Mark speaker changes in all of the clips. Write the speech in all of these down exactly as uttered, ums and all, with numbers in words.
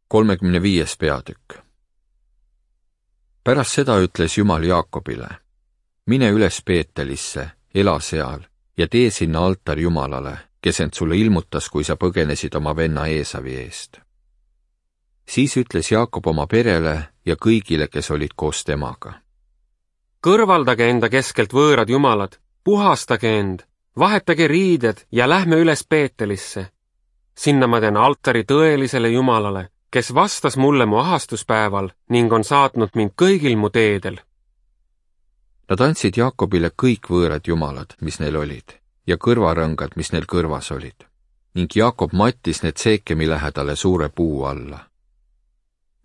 Speaker 1: kolmekümne viies peatükk. Pärast seda ütles Jumal Jaakobile, mine üles Beetelisse, ela seal ja tee sinna altar Jumalale, kes end sulle ilmutas, kui sa põgenesid oma venna Eesavi eest. Siis ütles Jaakob oma perele ja kõigile, kes olid koos temaga.
Speaker 2: Kõrvaldage enda keskelt võõrad jumalad, puhastage end, vahetage riided ja lähme üles Beetelisse. Sinna ma teen altari tõelisele Jumalale, kes vastas mulle mu ahastuspäeval ning on saatnud mind kõigil mu teedel.
Speaker 1: Nad andsid Jaakobile kõik võõrad jumalad, mis neil olid, ja kõrvarõngad, mis neil kõrvas olid, ning Jaakob mattis need Seekemi lähedale suure puu alla.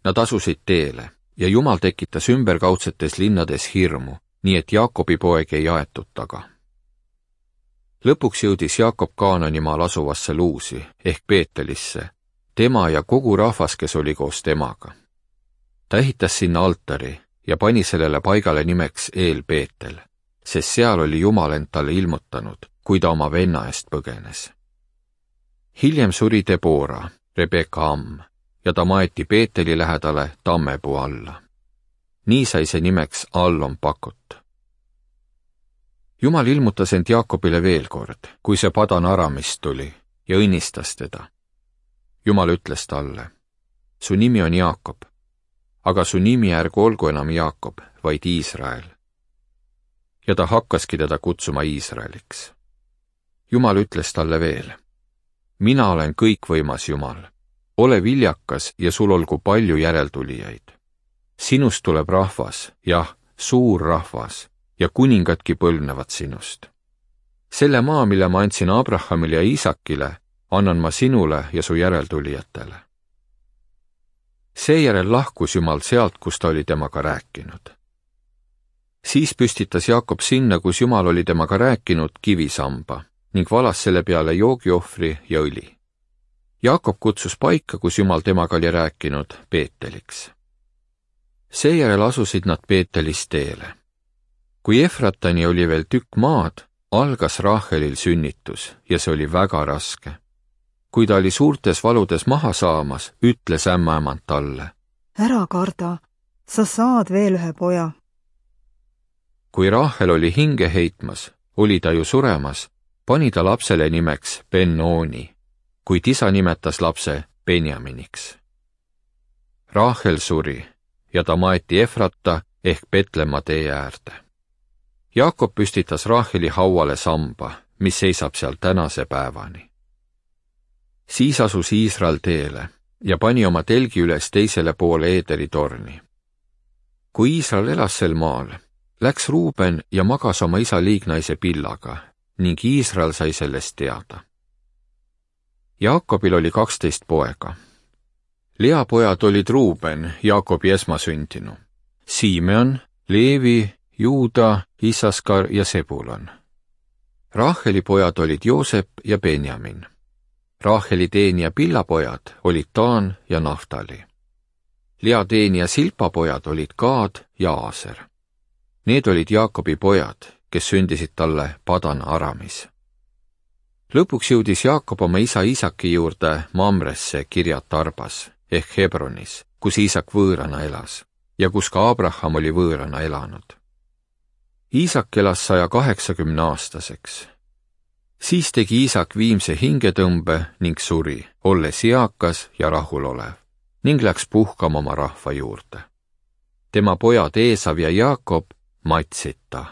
Speaker 1: Nad asusid teele ja Jumal tekitas ümberkaudsetes linnades hirmu, nii et Jaakobi poeg ei aetud taga. Lõpuks jõudis Jaakob Kaananimaal asuvasse Luusi ehk Beetelisse, tema ja kogu rahvas, kes oli koos temaga. Ta ehitas sinna altari ja pani sellele paigale nimeks Eel Beetel, sest seal oli Jumal end talle ilmutanud, kui ta oma venna eest põgenes. Hiljem suri Debora, Rebeka amm, ja ta maeti Beeteli lähedale tammepuu alla. Nii sai see nimeks Allon Pakut. Jumal ilmutas end Jaakobile veel kord, kui see Padan Aramist tuli ja õnnistas teda. Jumal ütles talle, su nimi on Jaakob, aga su nimi ärgu olgu enam Jaakob, vaid Iisrael. Ja ta hakkaski teda kutsuma Iisraeliks. Jumal ütles talle veel, mina olen kõikvõimas Jumal, ole viljakas ja sul olgu palju järeltulijaid. Sinust tuleb rahvas, jah, suur rahvas, ja kuningadki põlvnevad sinust. Selle maa, mille ma andsin Abrahamile ja Iisakile, annan ma sinule ja su järeltulijatele. Seejärel lahkus Jumal sealt, kus ta oli temaga rääkinud. Siis püstitas Jaakob sinna, kus Jumal oli temaga rääkinud, kivisamba ning valas selle peale joogiohvri ja õli. Jaakob kutsus paika, kus Jumal temaga oli rääkinud, Beeteliks. Seejärel asusid nad Beetelis teele. Kui Efratani oli veel tükk maad, algas Rahelil sünnitus ja see oli väga raske. Kui ta oli suurtes valudes maha saamas, ütles ämmaemand talle,
Speaker 3: ära karda, sa saad veel ühe poja.
Speaker 1: Kui Rahel oli hinge heitmas, oli ta ju suremas, pani ta lapsele nimeks Ben-Ooni, kuid isa nimetas lapse Benjaminiks. Rahel suri ja ta maeti Efrata ehk Betlemma tee äärde. Jaakob püstitas Raheli hauale samba, mis seisab seal tänase päevani. Siis asus Iisrael teele ja pani oma telgi üles teisele poole Eederi torni. Kui Iisrael elas sel maal, läks Ruuben ja magas oma isa liignaise Pillaga ning Iisrael sai sellest teada. Jaakobil oli kaksteist poega. Lea pojad olid Ruuben, Jaakobi esmasüntinu, Simeon, Leevi, Juuda, Isaskar ja Sebulon. Raheli pojad olid Joosep ja Benjamin. Raheli teenija Pilla pojad olid Taan ja Naftali. Lea teenija Silpa pojad olid Gaad ja Aaser. Need olid Jaakobi pojad, kes sündisid talle Padan Aramis. Lõpuks jõudis Jaakob oma isa Iisaki juurde Mamresse Kirjat Arbas ehk Hebronis, kus Iisak võõrana elas ja kus ka Abraham oli võõrana elanud. Iisak elas saja kaheksakümne aastaseks. Siis tegi Iisak viimse hingetõmbe ning suri, olles eakas ja rahulolev, ning läks puhkama oma rahva juurde. Tema pojad Eesav ja Jaakob matsid ta